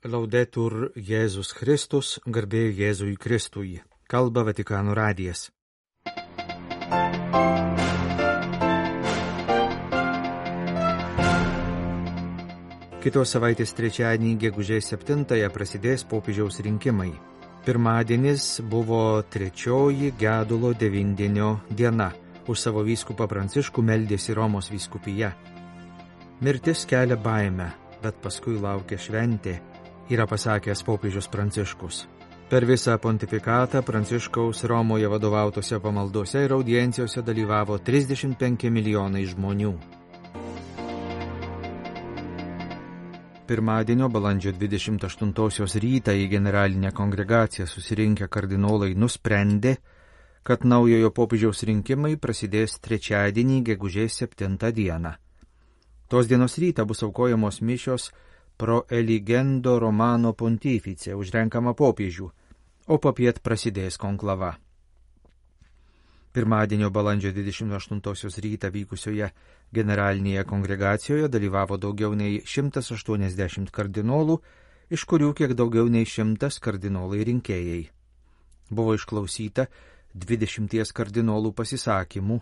Laudetur Jėzus Kristus, garbė Jėzui Kristui. Kalba Vatikano radijas. Kitos savaitės trečiadienį, gegužės 7-ąją, prasidės popiežiaus rinkimai. Pirmadienis buvo trečioji gedulo devindienio diena. Už savo vyskupą Pranciškų meldėsi Romos vyskupija. Mirtis kelia baimę, bet paskui laukia šventė, yra pasakęs popiežius Pranciškus. Per visą pontifikatą Pranciškaus Romoje vadovautose pamaldose ir audiencijose dalyvavo 35 milijonai žmonių. Pirmadienio balandžio 28 rytą į generalinę kongregaciją susirinkę kardinolai nusprendė, kad naujojo popiežiaus rinkimai prasidės trečiadienį gegužės 7 dieną. Tos dienos rytą bus aukojamos mišios pro eligendo Romano pontifice už renkamą popiežių, o popiet prasidės konklava. Pirmadienio balandžio 28 rytą vykusioje generalinėje kongregacijoje dalyvavo daugiau nei 180 kardinolų, iš kurių kiek daugiau nei 100 kardinolai rinkėjai. Buvo išklausyta 20 kardinolų pasisakymų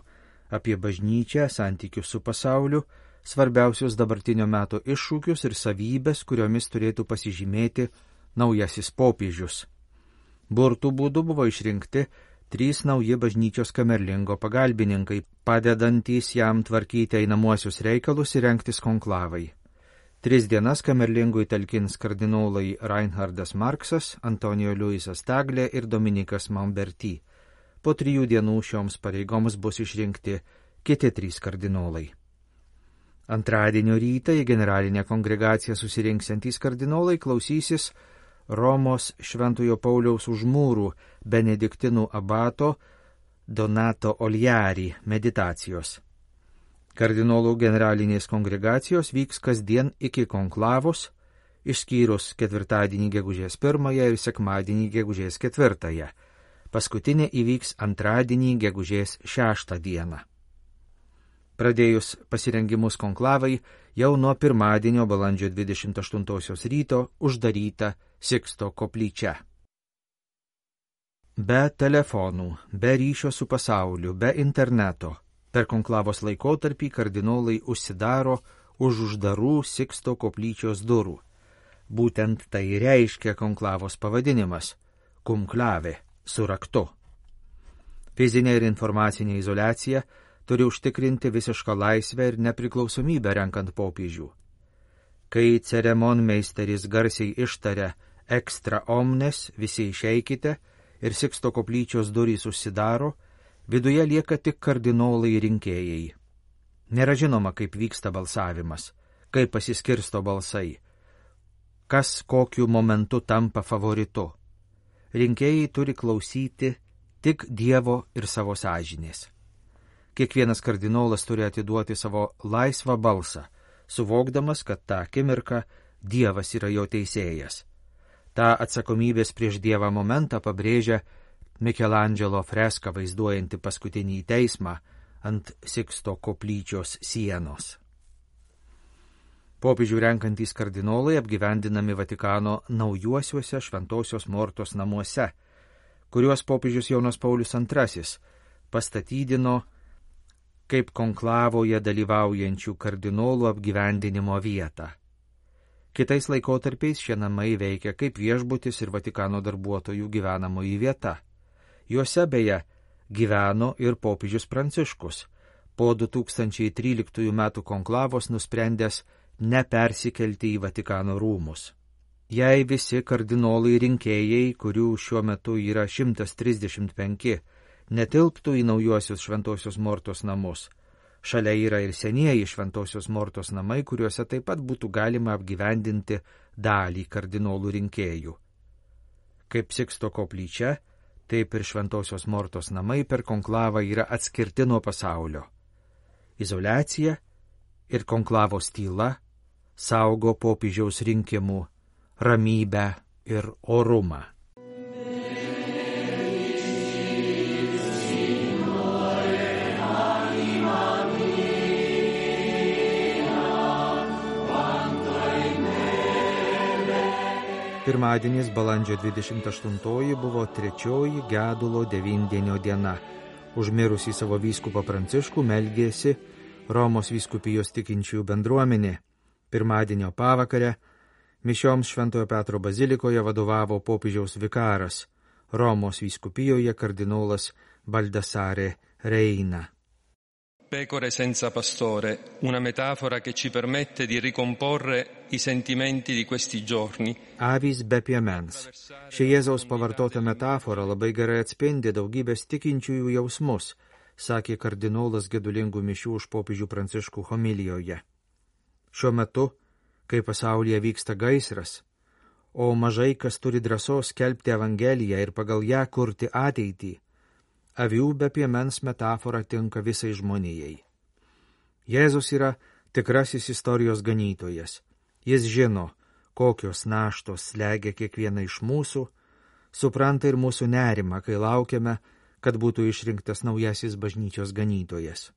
apie bažnyčią, santykius su pasauliu, svarbiausius dabartinio meto iššūkius ir savybės, kuriomis turėtų pasižymėti naujasis popiežius. Burtų būdu buvo išrinkti 3 nauji bažnyčios kamerlingo pagalbininkai, padedantys jam tvarkyti einamuosius reikalus ir rengtis konklavai. 3 dienas kamerlingui talkins kardinolai Reinhardas Marksas, Antonijo Luisas Taglė ir Dominikas Mamberti. Po 3 dienų šioms pareigoms bus išrinkti kiti 3 kardinolai. Antradienio rytą į generalinę kongregaciją susirinksiantys kardinolai klausysis Romos Šventojo Pauliaus už mūrų benediktinų abato Donato Oliari meditacijos. Kardinolų generalinės kongregacijos vyks kasdien iki konklavos, išskyrus ketvirtadienį gegužės 1 ir sekmadienį gegužės 4. Paskutinė įvyks antradienį gegužės 6 dieną. Pradėjus pasirengimus konklavai, jau nuo pirmadienio balandžio 28 ryto uždaryta Siksto koplyčia. Be telefonų, be ryšio su pasauliu, be interneto, per konklavos laikotarpį kardinolai užsidaro už uždarų Siksto koplyčios durų. Būtent tai reiškia konklavos pavadinimas – kumklavė su raktu. Fizinė ir informacinė izoliacija turi užtikrinti visišką laisvę ir nepriklausomybę renkant popiežių. Kai ceremonmeisteris garsiai ištaria extra omnes, visi išeikite ir Siksto koplyčios durys užsidaro, viduje lieka tik kardinolai rinkėjai. Nėra žinoma, kaip vyksta balsavimas, kaip pasiskirsto balsai, kas kokiu momentu tampa favoritu. Rinkėjai turi klausyti tik Dievo ir savo sąžinės. Kiekvienas kardinolas turi atiduoti savo laisvą balsą, suvokdamas, kad tą akimirką Dievas yra jo teisėjas. Ta atsakomybės prieš Dievą momentą pabrėžia Michelangelo freska vaizduojanti paskutinį teismą ant Siksto koplyčios sienos. Popiežių renkantys kardinolai apgyvendinami Vatikano naujuosiuose Šventosios Mortos namuose, kuriuos popiežius Jonas Paulius II pastatydino kaip konklavoje dalyvaujančių kardinolų apgyvendinimo vietą. Kitais laikotarpiais šie namai veikia kaip viešbutis ir Vatikano darbuotojų gyvenamoji vieta. Juose beje gyveno ir popiežius Pranciškus, po 2013 metų konklavos nusprendęs nepersikelti į Vatikano rūmus. Jei visi kardinolai rinkėjai, kurių šiuo metu yra 135, netilptų į naujuosius Šventosios Mortos namus, šalia yra ir senieji Šventosios Mortos namai, kuriuose taip pat būtų galima apgyvendinti dalį kardinolų rinkėjų. Kaip Siksto koplyčia, taip ir Šventosios Mortos namai per konklavą yra atskirti nuo pasaulio. Izoliacija ir konklavos tyla saugo popiežiaus rinkimų ramybę ir orumą. Pirmadienis balandžio 28 buvo trečioji gedulo devindienio diena. Užmirusį savo vyskupą Pranciškų meldėsi Romos vyskupijos tikinčiųjų bendruomenė. Pirmadienio pavakarę mišioms Šventojo Petro bazilikoje vadovavo popiežiaus vikaras, Romos vyskupijoje kardinolas Baldassare Reina. Pecore senza pastore, una metafora che ci permette di ricomporre i sentimenti di questi giorni. Avys be piemens. Ši Jėzaus pavartota metafora labai gerai atspindi daugybės tikinčiųjų jausmus, sakė kardinolas gedulingų mišių už popiežių Pranciškų homilijoje. Šiuo metu, kai pasaulyje vyksta gaisras, o mažai kas turi drąsos skelbti Evangeliją ir pagal ją kurti ateitį, avių be piemens metafora tinka visai žmonijai. Jėzus yra tikrasis istorijos ganytojas. Jis žino, kokios naštos slegia kiekvieną iš mūsų, supranta ir mūsų nerimą, kai laukiame, kad būtų išrinktas naujasis bažnyčios ganytojas.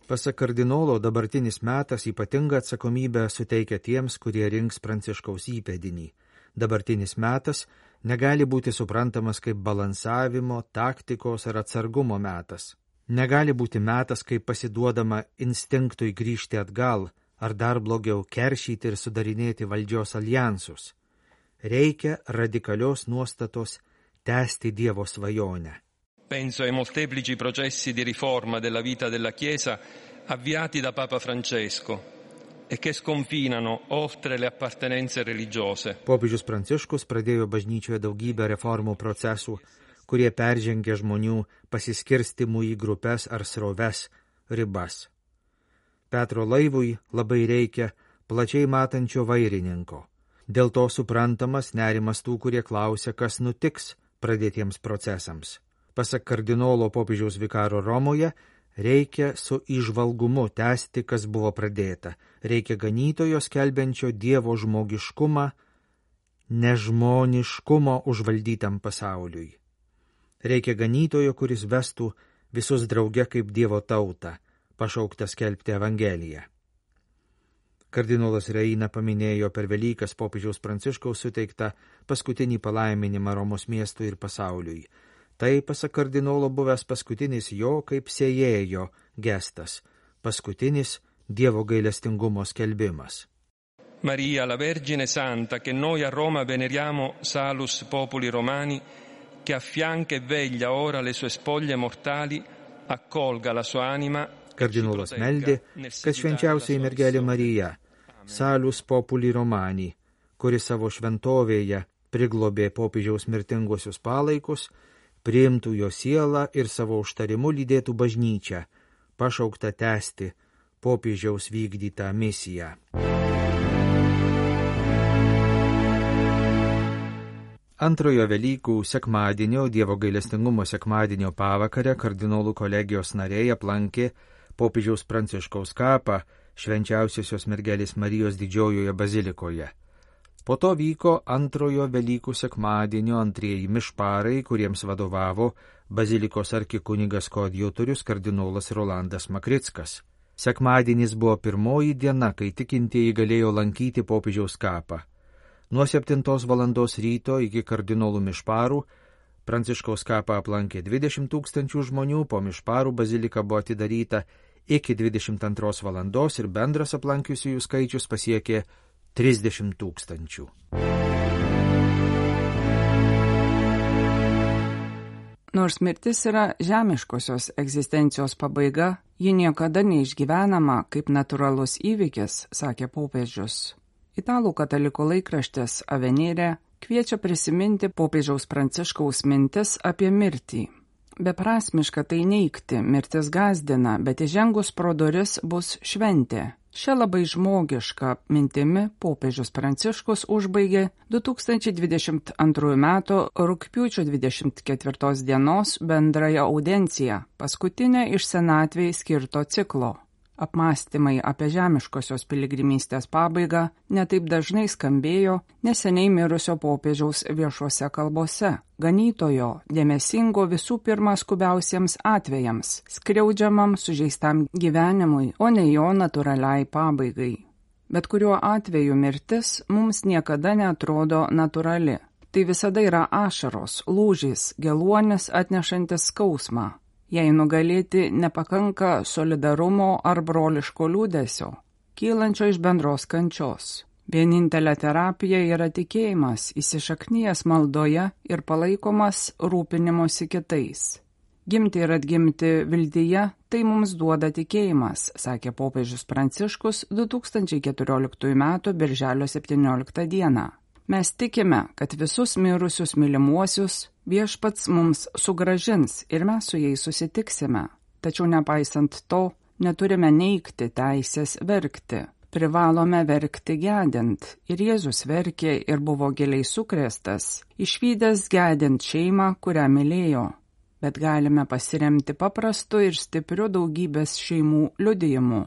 Pasak kardinolo, dabartinis metas ypatingą atsakomybę suteikia tiems, kurie rinks Pranciškaus įpėdinį. Dabartinis metas negali būti suprantamas kaip balansavimo, taktikos ar atsargumo metas. Negali būti metas, kaip pasiduodama instinktui grįžti atgal, ar dar blogiau keršyti ir sudarinėti valdžios aljansus. Reikia radikalios nuostatos tęsti Dievo svajonę. Penso ai molteplici processi di riforma della vita della Chiesa avviati da Papa Francesco e che sconfinano oltre le appartenenze religiose. Popiežius Pranciškus pradėjo bažnyčioje daugybę reformų procesų, kurie peržengia žmonių pasiskirstimų į grupes ar sroves ribas. Petro laivui labai reikia plačiai matančio vairininko. Dėl to suprantamas nerimas tų, kurie klausia, kas nutiks pradėtiems procesams. Pasak kardinolo popiežiaus vikaro Romoje, reikia su įžvalgumu tęsti, kas buvo pradėta. Reikia ganytojo skelbiančio Dievo žmogiškumą, nežmoniškumo užvaldytam pasauliui. Reikia ganytojo, kuris vestų visus drauge kaip Dievo tautą, pašauktą skelbti Evangeliją. Kardinolas Reina paminėjo per Velykas popiežiaus Pranciškaus suteiktą paskutinį palaiminimą Romos miestui ir pasauliui. Tai, pasak kardinolo, buvęs paskutinis jo kaip sėjėjo gestas, paskutinis Dievo gailestingumo skelbimas. Maria, la Vergine Santa, che noi a Roma veneriamo salus populi romani, che affianca e veglia ora le sue spoglie mortali, accolga la sua anima. Kardinolas meldė, kad švenčiausiai mergelė Marija, salus populi romani, kuri savo šventovėje priglobė popiežiaus mirtinguosius palaikus, priimtų jo sielą ir savo užtarimu lydėtų bažnyčią, pašauktą tęsti popiežiaus vykdytą misiją. Antrojo Velykų sekmadienio, Dievo gailestingumo sekmadienio pavakarę kardinolų kolegijos nariai aplankė popiežiaus Pranciškaus kapą Švenčiausiosios mergelės Marijos didžiojoje bazilikoje. Po to vyko antrojo Velykų sekmadienio antrieji mišparai, kuriems vadovavo bazilikos arkikunigas koadjutorius kardinolas Rolandas Makrickas. Sekmadienis buvo pirmoji diena, kai tikintieji galėjo lankyti popiežiaus kapą. Nuo 7 valandos ryto iki kardinolų mišparų Pranciškaus kapą aplankė 20 000 žmonių, po mišparų bazilika buvo atidaryta iki 22 valandos ir bendras aplankiusiųjų skaičius pasiekė 30 000. Nors mirtis yra žemiškosios egzistencijos pabaiga, ji niekada neišgyvenama kaip natūralus įvykis, sakė popiežius. Italų katalikų laikraštis Avenire kviečia prisiminti popiežiaus Pranciškaus mintis apie mirtį. Beprasmiška tai neigti, mirtis gąsdina, bet įžengus pro duris bus šventė. Šią labai žmogišką mintimi popiežius Pranciškus užbaigė 2022 m. rugpjūčio 24 dienos bendrąją audienciją, paskutinę iš senatvei skirto ciklo. Apmąstymai apie žemiškosios piligrimystės pabaigą netaip dažnai skambėjo neseniai mirusio popiežiaus viešuose kalbose, ganytojo, dėmesingo visų pirma skubiausiems atvejams, skriaudžiamam sužeistam gyvenimui, o ne jo natūraliai pabaigai. Bet kuriuo atveju mirtis mums niekada neatrodo natūrali. Tai visada yra ašaros, lūžis, geluonis atnešantis skausmą. Jei nugalėti nepakanka solidarumo ar broliško liūdesio, kylančio iš bendros kančios. Vienintelė terapija yra tikėjimas, įsišaknyjęs maldoje ir palaikomas rūpinimosi kitais. Gimti ir atgimti viltyje tai mums duoda tikėjimas, sakė popiežius Pranciškus 2014 m. birželio 17 d. Mes tikime, kad visus mirusius mylimuosius Viešpats mums sugrąžins ir mes su jais susitiksime. Tačiau nepaisant to, neturime neigti teisės verkti. Privalome verkti gedint. Ir Jėzus verkė ir buvo giliai sukrėstas, išvydęs gedint šeimą, kurią mylėjo. Bet galime pasiremti paprastu ir stipriu daugybės šeimų liudijimu.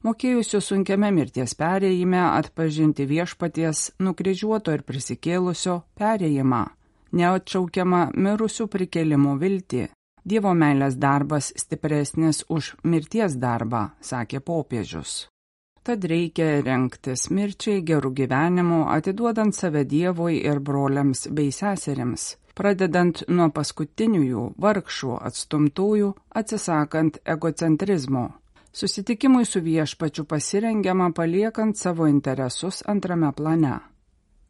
Mokėjusių sunkiame mirties perėjime atpažinti viešpaties nukryžiuoto ir prisikėlusio perėjimą, neatšaukiamą mirusių prikėlimų viltį. Dievo meilės darbas stipresnis už mirties darbą, sakė popiežius. Tad reikia rengtis mirčiai gerų gyvenimų, atiduodant save Dievui ir broliams bei seserims, pradedant nuo paskutiniųjų vargšų atstumtųjų, atsisakant egocentrizmo. Susitikimui su viešpačiu pasirengiama paliekant savo interesus antrame plane.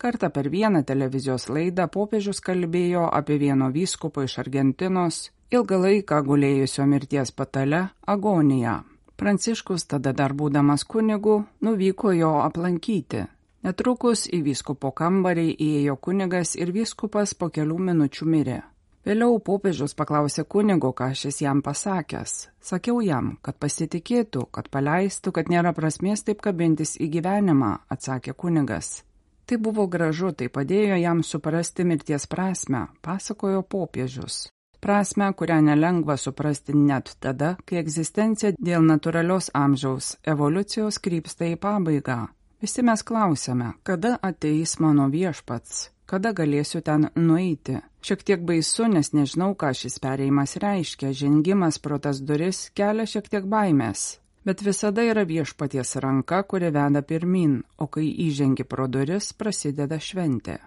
Kartą per vieną televizijos laidą popiežius kalbėjo apie vieno vyskupo iš Argentinos, ilgą laiką gulėjusio mirties patale agoniją. Pranciškus, tada dar būdamas kunigu, nuvyko jo aplankyti. Netrukus į vyskupo kambarį įėjo kunigas ir vyskupas po kelių minučių mirė. Vėliau popiežius paklausė kunigo, ką šis jam pasakęs. Sakiau jam, kad pasitikėtų, kad paleistų, kad nėra prasmės taip kabintis į gyvenimą, atsakė kunigas. Tai buvo gražu, tai padėjo jam suprasti mirties prasmę, pasakojo popiežius. Prasmę, kurią nelengva suprasti net tada, kai egzistencija dėl natūralios amžiaus evoliucijos krypsta į pabaigą. Visi mes klausėme, kada ateis mano viešpats, kada galėsiu ten nueiti. Šiek tiek baisu, nes nežinau, ką šis perėjimas reiškia, žengimas pro tas duris kelia šiek tiek baimės. Bet visada yra viešpaties ranka, kuri veda pirmin, o kai įžengi pro duris, prasideda šventė.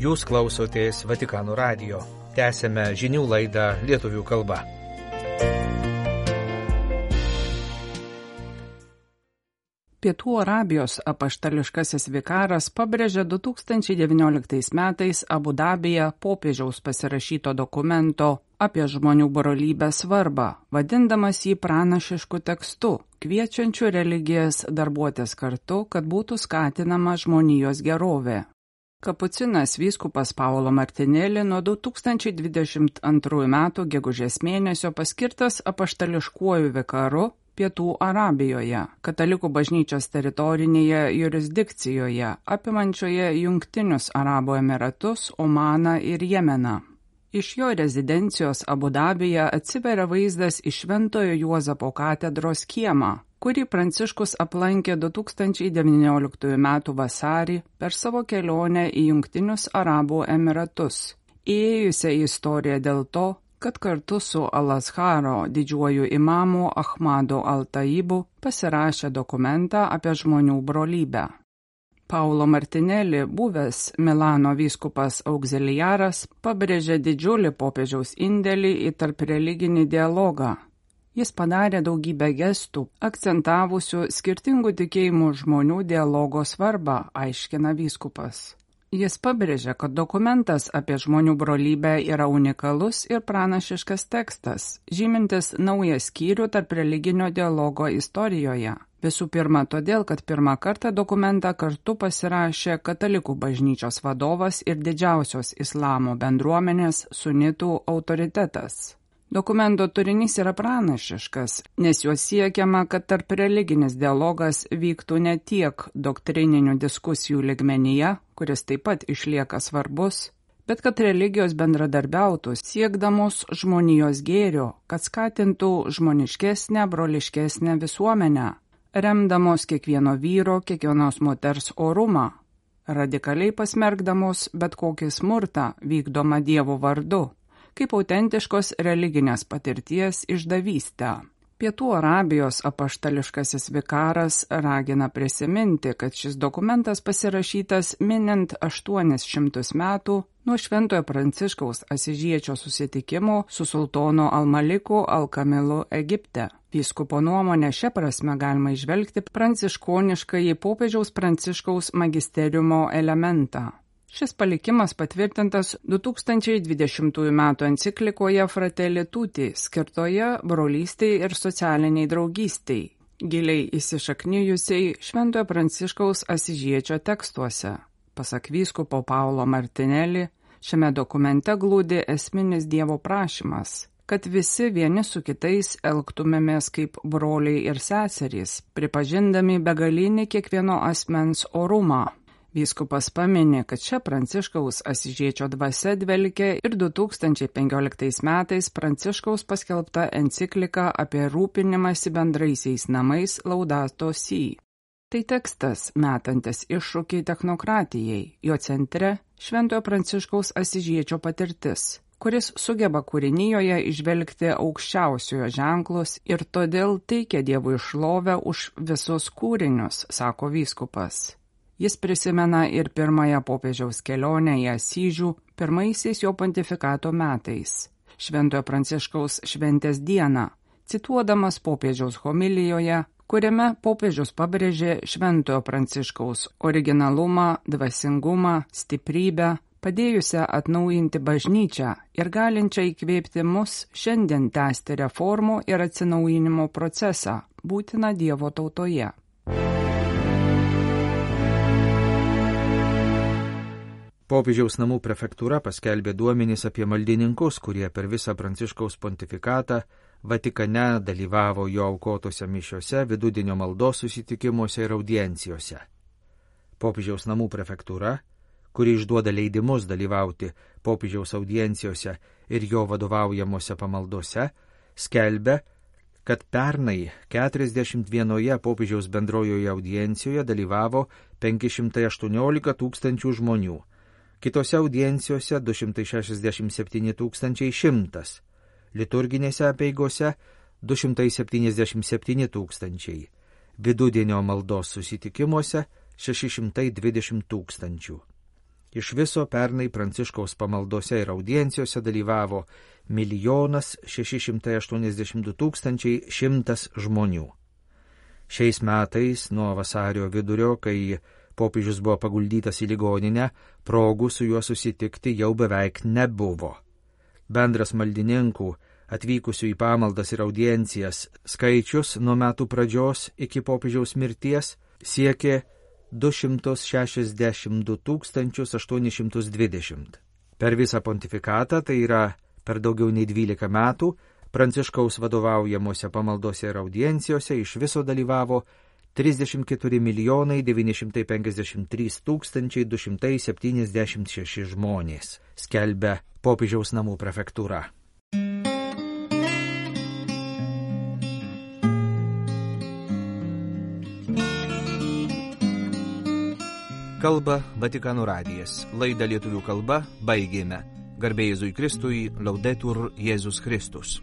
Jūs klausotės Vatikano radijo. Tęsėme žinių laidą lietuvių kalba. Pietų Arabijos apaštališkasis vikaras pabrėžė 2019 metais Abu Dabyje popiežiaus pasirašyto dokumento apie žmonių brolybę svarbą, vadindamas jį pranašišku tekstu, kviečiančiu religijas darbuotis kartu, kad būtų skatinama žmonijos gerovė. Kapucinas vyskupas Paulo Martinelli nuo 2022 metų gegužės mėnesio paskirtas apaštališkuoju vikaru Pietų Arabijoje, katalikų bažnyčios teritorinėje jurisdikcijoje, apimančioje Jungtinius Arabų Emiratus, Omaną ir Jemeną. Iš jo rezidencijos Abu Dabyje atsiveria vaizdas į Šventojo Juozapo katedros kiemą, kurį Pranciškus aplankė 2019 m. vasarį per savo kelionę į Jungtinius Arabų Emiratus, įėjusią į istoriją dėl to, kad kartu su Al-Azharo didžiuoju imamu Ahmadu Al-Taibu pasirašė dokumentą apie žmonių brolybę. Paulo Martinelli, buvęs Milano vyskupas auxiliaras, pabrėžė didžiulį popiežiaus indėlį į tarpreliginį dialogą. Jis padarė daugybę gestų, akcentavusių skirtingų tikėjimų žmonių dialogo svarbą, aiškina vyskupas. Jis pabrėžė, kad dokumentas apie žmonių brolybę yra unikalus ir pranašiškas tekstas, žymintis naują skyrių tarp religinio dialogo istorijoje. Visų pirma, todėl, kad pirmą kartą dokumentą kartu pasirašė katalikų bažnyčios vadovas ir didžiausios islamo bendruomenės sunitų autoritetas. Dokumento turinys yra pranašiškas, nes juo siekiama, kad tarp religinis dialogas vyktų ne tiek doktrininių diskusijų lygmenyje, kuris taip pat išlieka svarbus, bet kad religijos bendradarbiautų siekdamos žmonijos gėrio, kad skatintų žmoniškesnę, broliškesnę visuomenę, remdamos kiekvieno vyro, kiekvienos moters orumą, radikaliai pasmerkdamos bet kokį smurtą vykdomą Dievo vardu, kaip autentiškos religinės patirties išdavystę. Pietų Arabijos apaštališkasis vikaras ragina prisiminti, kad šis dokumentas pasirašytas minint 800 metų nuo Šventojo Pranciškaus Asyžiečio susitikimo su sultonu Al-Maliku Al-Kamilu Egipte. Vyskupo nuomonė šia prasme galima įžvelgti pranciškoniškąjį popiežiaus Pranciškaus magisteriumo elementą. Šis palikimas patvirtintas 2020 m. enciklikoje Fratelli Tutti, skirtoje brolystei ir socialiniai draugystei, giliai įsišaknijusiai Šventojo Pranciškaus Asyžiečio tekstuose. Pasak vyskupo Paulo Martinelli, šiame dokumente glūdi esminis Dievo prašymas, kad visi vieni su kitais elgtumėmės kaip broliai ir seserys, pripažindami begalinį kiekvieno asmens orumą. Vyskupas paminė, kad čia Pranciškaus Asyžiečio dvasia dvelkė ir 2015 metais Pranciškaus paskelbta enciklika apie rūpinimąsi bendraisiais namais Laudato Si. Tai tekstas metantis iššūkį technokratijai, jo centre Šventojo Pranciškaus Asyžiečio patirtis, kuris sugeba kūrinijoje įžvelgti aukščiausiojo ženklus ir todėl teikia Dievui šlovę už visus kūrinius, sako vyskupas. Jis prisimena ir pirmąją popiežiaus kelionę į Asyžių pirmaisiais jo pontifikato metais, Šventojo Pranciškaus šventės dieną, cituodamas popiežiaus homilijoje, kuriame popiežius pabrėžė Šventojo Pranciškaus originalumą, dvasingumą, stiprybę, padėjusią atnaujinti bažnyčią ir galinčią įkvėpti mus šiandien tęsti reformų ir atsinaujinimo procesą, būtiną Dievo tautoje. Popiežiaus namų prefektūra paskelbė duomenys apie maldininkus, kurie per visą Pranciškaus pontifikatą Vatikane dalyvavo jo aukotose mišiose, vidudienio maldos susitikimuose ir audiencijose. Popiežiaus namų prefektūra, kuri išduoda leidimus dalyvauti popiežiaus audiencijose ir jo vadovaujamuose pamaldose, skelbia, kad pernai 41 popiežiaus bendrojoje audiencijoje dalyvavo 518 tūkstančių žmonių, kitose audiencijose 267 100, liturginėse apeigose 277 tūkstančiai, vidudienio maldos susitikimuose 620 tūkstančių. Iš viso pernai Pranciškaus pamaldose ir audiencijose dalyvavo 1 682 100 žmonių. Šiais metais nuo vasario vidurio, kai popiežius buvo paguldytas į ligoninę, progų su juo susitikti jau beveik nebuvo. Bendras maldininkų, atvykusių į pamaldas ir audiencijas, skaičius nuo metų pradžios iki popiežiaus mirties siekė 262 820. Per visą pontifikatą, tai yra per daugiau nei 12 metų, Pranciškaus vadovaujamuose pamaldose ir audiencijose iš viso dalyvavo 34 953 276 žmonės, skelbia popiežiaus namų prefektūra. Kalba Vatikano radijas. Laidą lietuvių kalba baigėme. Garbė Jėzui Kristui, Laudetur Jėzus Kristus.